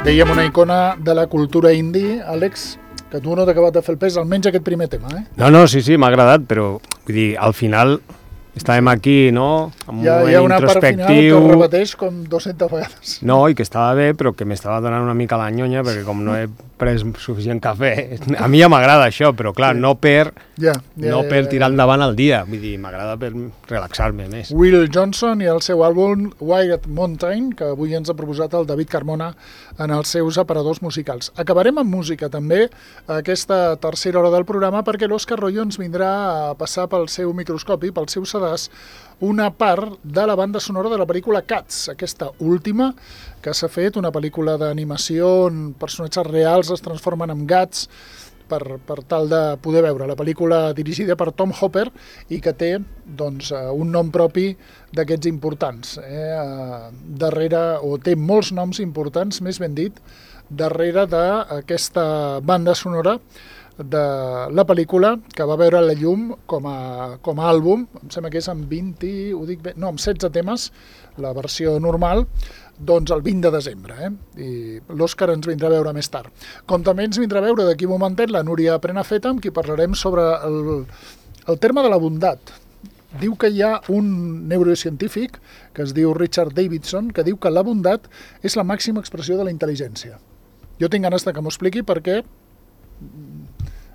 Dèiem una icona de la cultura indie, Àlex, que tu no t'ha acabat de fer el pes, almenys aquest primer tema, eh? No, sí, m'ha agradat, però vull dir, al final estàvem aquí, no?, amb Hi ha una part final que ho repeteix com 200 vegades. No, i que estava bé, però que m'estava donant una mica la nyonya, perquè com no he pres suficient cafè, a mi ja m'agrada això, però clar, no per tirar endavant el dia, vull dir, m'agrada per relaxar-me més. Will Johnson i el seu àlbum Wild Mountain, que avui ens ha proposat el David Carmona en els seus aparadors musicals. Acabarem amb música també aquesta tercera hora del programa, perquè l'Òscar Royo ens vindrà a passar pel seu microscopi, pel seu sedàs, una part de la banda sonora de la pel·lícula Cats, aquesta última que s'ha fet, una pel·lícula d'animació on personatges reals es transformen en gats per tal de poder veure la pel·lícula dirigida per Tom Hopper i que té doncs, un nom propi d'aquests importants. Darrere, o té molts noms importants, més ben dit, darrere d'aquesta banda sonora de la pel·lícula que va veure la llum com a àlbum, em sembla que és amb 16 temes, la versió normal, doncs el 20 de desembre, i l'Òscar ens vindrà a veure més tard. Com també ens vindrà a veure d'aquí un momentet la Núria Prenafeta, amb qui parlarem sobre el terme de la bondat. Diu que hi ha un neurocientífic que es diu Richard Davidson que diu que la bondat és la màxima expressió de la intel·ligència. Jo tinc ganes que m'ho expliqui perquè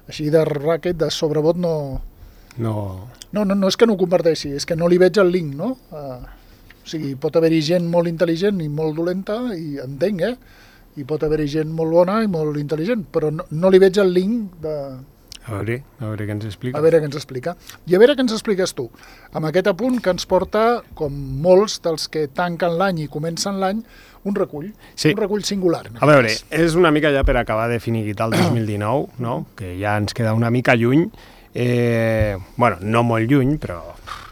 així de raquet, de sobrebot, no és que no ho comparteixi, és que no li veig el link, no? O sigui, pot haver-hi gent molt intel·ligent i molt dolenta, i entenc, i pot haver-hi gent molt bona i molt intel·ligent, però no li veig el link de... A veure què ens explica. A veure què ens explica. I a veure què ens expliques tu, amb aquest apunt que ens porta, com molts dels que tanquen l'any i comencen l'any, un recull, sí. Un recull singular. A veure, és una mica ja per acabar de finiquitar el 2019, no? Que ja ens queda una mica lluny, bueno, no molt lluny, però...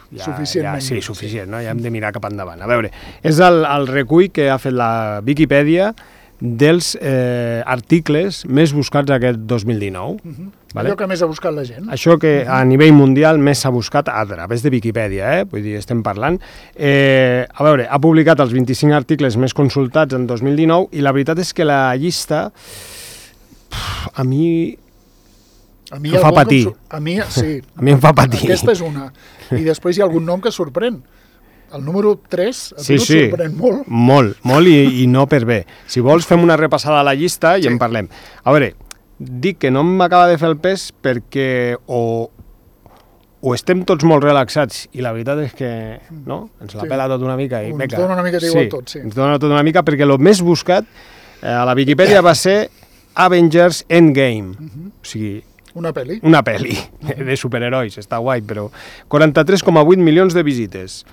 Suficientment. Sí, suficient, no? Ja hem de mirar cap endavant. A veure, és el recull que ha fet la Viquipèdia dels articles més buscats aquest 2019. Vale? Allò que més ha buscat la gent. Això que a nivell mundial més s'ha buscat a través de Viquipèdia, vull dir, estem parlant. A veure, ha publicat els 25 articles més consultats en 2019 i la veritat és que la llista a mi em fa patir. A mi, sí. A mi em fa patir. Aquesta és una. I després hi ha algun nom que sorprèn. El número 3 sorprèn molt. Molt i no per bé. Si vols fem una repassada a la llista i en parlem. A veure, dic que no m'acaba de fer el pes perquè o estem tots molt relaxats i la veritat és que ens la pela tot una mica. Ens dona una mica d'igual tot, sí. Ens dona tot una mica perquè el més buscat a la Viquipèdia va ser Avengers Endgame. O sigui... Una pel·li. Una pel·li de superherois, està guai, però 43,8 milions de visites.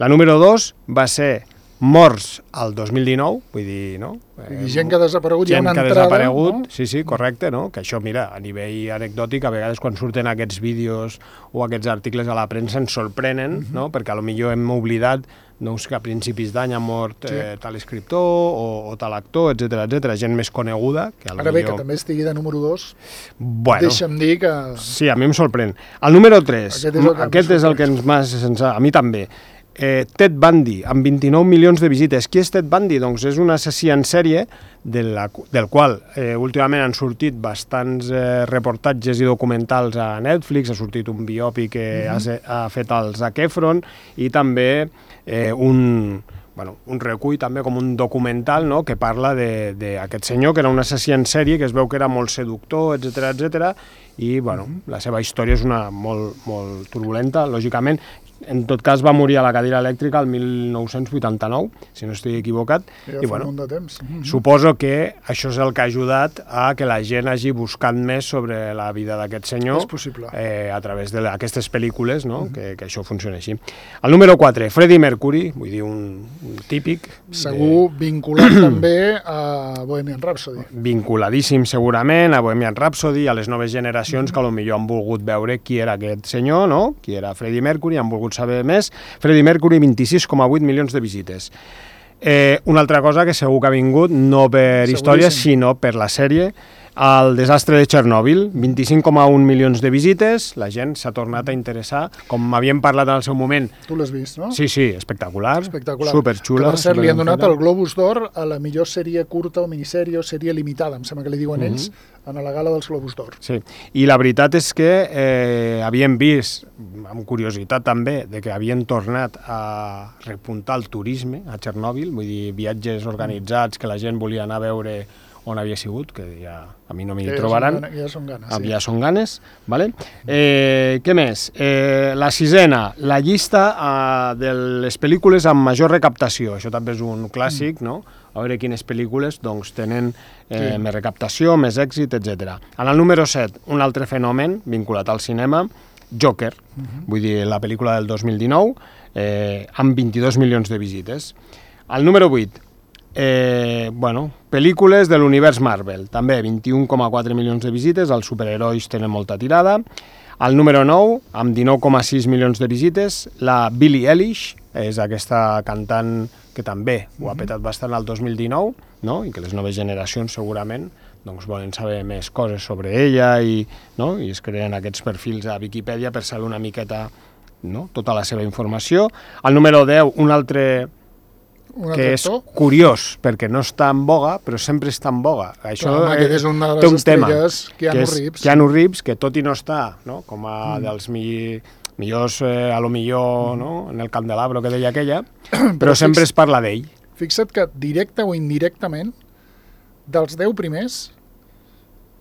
La número 2 va ser Morts al 2019, vull dir, no? Gent que ha desaparegut, hi ha una entrada. Gent que ha desaparegut, no? Sí, correcte, no? Que això, mira, a nivell anecdòtic, a vegades quan surten aquests vídeos o aquests articles a la premsa ens sorprenen, no? Perquè potser hem oblidat que a principis d'any ha mort tal escriptor o tal actor, etc, gent més coneguda. Ara bé, que també estigui de número 2, deixa'm dir que... Sí, a mi em sorprèn. El número 3, aquest és el que ens... A mi també. Ted Bundy, amb 29 milions de visites. Qui és Ted Bundy? Doncs és un assassí en sèrie del qual últimament han sortit bastants reportatges i documentals a Netflix, ha sortit un biòpic que ha fet el Zac Efron i també un recull també com un documental, no?, que parla d'aquest senyor que era un assassí en sèrie, que es veu que era molt seductor, etc, i la seva història és una molt turbulenta, lògicament. En tot cas va morir a la cadira elèctrica el 1989, si no estic equivocat, i bueno, de temps. Suposo que això és el que ha ajudat a que la gent hagi buscat més sobre la vida d'aquest senyor a través d'aquestes pel·lícules, no? Que això funciona així. El número 4, Freddie Mercury, vull dir un típic. Segur vinculat també a Bohemian Rhapsody. Vinculadíssim segurament a Bohemian Rhapsody, a les noves generacions que potser han volgut veure qui era aquest senyor, no? Qui era Freddie Mercury, han volgut saber més. Freddie Mercury, 26,8 milions de visites. Una altra cosa que segur que ha vingut, no per història, sinó per la sèrie El desastre de Txernòbil, 25,1 milions de visites, la gent s'ha tornat a interessar, com havíem parlat en el seu moment. Tu l'has vist, no? Sí, espectacular, espectacular. superxula. Que per cert, li han donat el Globus d'Or a la millor sèrie curta o minissèrie o sèrie limitada, em sembla que li diuen ells, en la gala dels Globus d'Or. Sí, i la veritat és que havíem vist, amb curiositat també, de que havien tornat a repuntar el turisme a Txernòbil, vull dir, viatges organitzats que la gent volia anar a veure on havia sigut, que ja a mi no m'hi trobaran. Ja són ganes, sí. Ja són ganes, vale? Què més? La sisena, la llista de les pel·lícules amb major recaptació. Això també és un clàssic, no? A veure quines pel·lícules doncs, tenen més recaptació, més èxit, etc. En el número 7, un altre fenomen vinculat al cinema, Joker, vull dir, la pel·lícula del 2019, amb 22 milions de visites. El número 8, pel·lícules de l'univers Marvel, també 21,4 milions de visites, els superherois tenen molta tirada. El número 9, amb 19,6 milions de visites, la Billie Eilish, és aquesta cantant que també ho ha petat bastant el 2019, no? I que les noves generacions segurament doncs, volen saber més coses sobre ella i es creen aquests perfils a Viquipèdia per saber una miqueta tota la seva informació. El número 10, un altre que és curiós, perquè no està en boga, però sempre està en boga. Això és una de les estrelles, Keanu Reeves, que tot i no està com a dels millors, a lo millor, en el candelabro que deia aquella, però sempre es parla d'ell. Fixa't que directe o indirectament, dels 10 primers,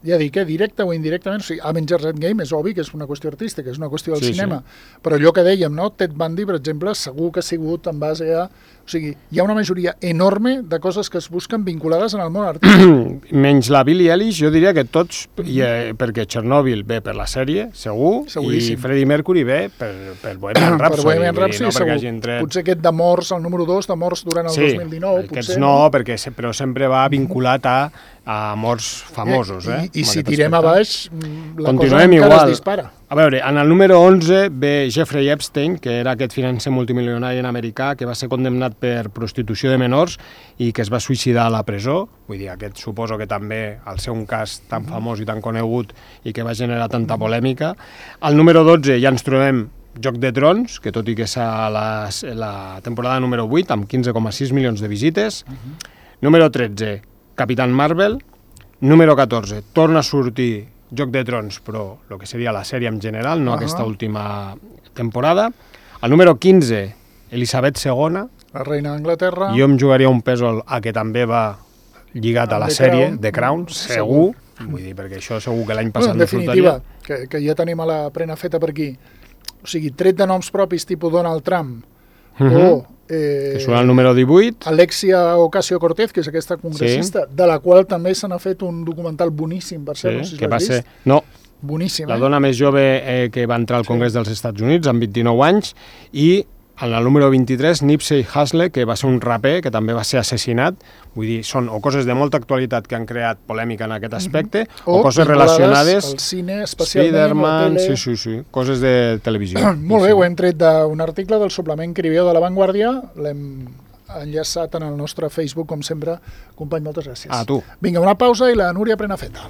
ja dic, directe o indirectament, o sigui, Avengers Endgame és obvi que és una qüestió artística, és una qüestió del cinema, però allò que dèiem, Ted Bundy, per exemple, segur que ha sigut en base a... O sigui, hi ha una majoria enorme de coses que es busquen vinculades en el món artístic. Menys la Billie Eilish, jo diria que tots, perquè Txernòbil ve per la sèrie, segur, i Freddie Mercury ve per Bohemian Rhapsody. Per Bohemian Rhapsody, segur. Potser aquest de morts, el número 2, de morts durant el 2019, potser. Aquests no, però sempre va vinculat a morts famosos. I si tirem a baix, la cosa encara es dispara. A veure, en el número 11 ve Jeffrey Epstein, que era aquest financer multimilionari americà que va ser condemnat per prostitució de menors i que es va suïcidar a la presó. Vull dir, aquest suposo que també, al ser un cas tan famós i tan conegut i que va generar tanta polèmica. Al número 12 ja ens trobem Joc de Trons, que tot i que és la temporada número 8, amb 15,6 milions de visites. Número 13, Capitán Marvel. Número 14, torna a sortir Joc de Trons, però el que seria la sèrie en general, no aquesta última temporada. El número 15, Elisabet II. La reina d'Anglaterra. Jo em jugaria un pèsol a que també va lligat a la sèrie The Crown, segur. Vull dir, perquè això segur que l'any passat no sortaria. En definitiva, que ja tenim a la prena feta per aquí. O sigui, tret de noms propis tipus Donald Trump o... que surt el número 18. Alexia Ocasio-Cortez, que és aquesta congressista, de la qual també se n'ha fet un documental boníssim, per cert, no sé si l'has vist. No, boníssim, la dona més jove que va entrar al Congrés dels Estats Units amb 29 anys, i en el número 23, Nipsey Hussle, que va ser un raper, que també va ser assassinat. Vull dir, són o coses de molta actualitat que han creat polèmica en aquest aspecte, o coses relacionades... al cine, especialment, a la tele... Sí, coses de televisió. Molt bé, ho hem tret d'un article del suplement Cribeo de La Vanguardia, l'hem enllaçat en el nostre Facebook, com sempre. Company, moltes gràcies. A tu. Vinga, una pausa i la Núria Prenafeta.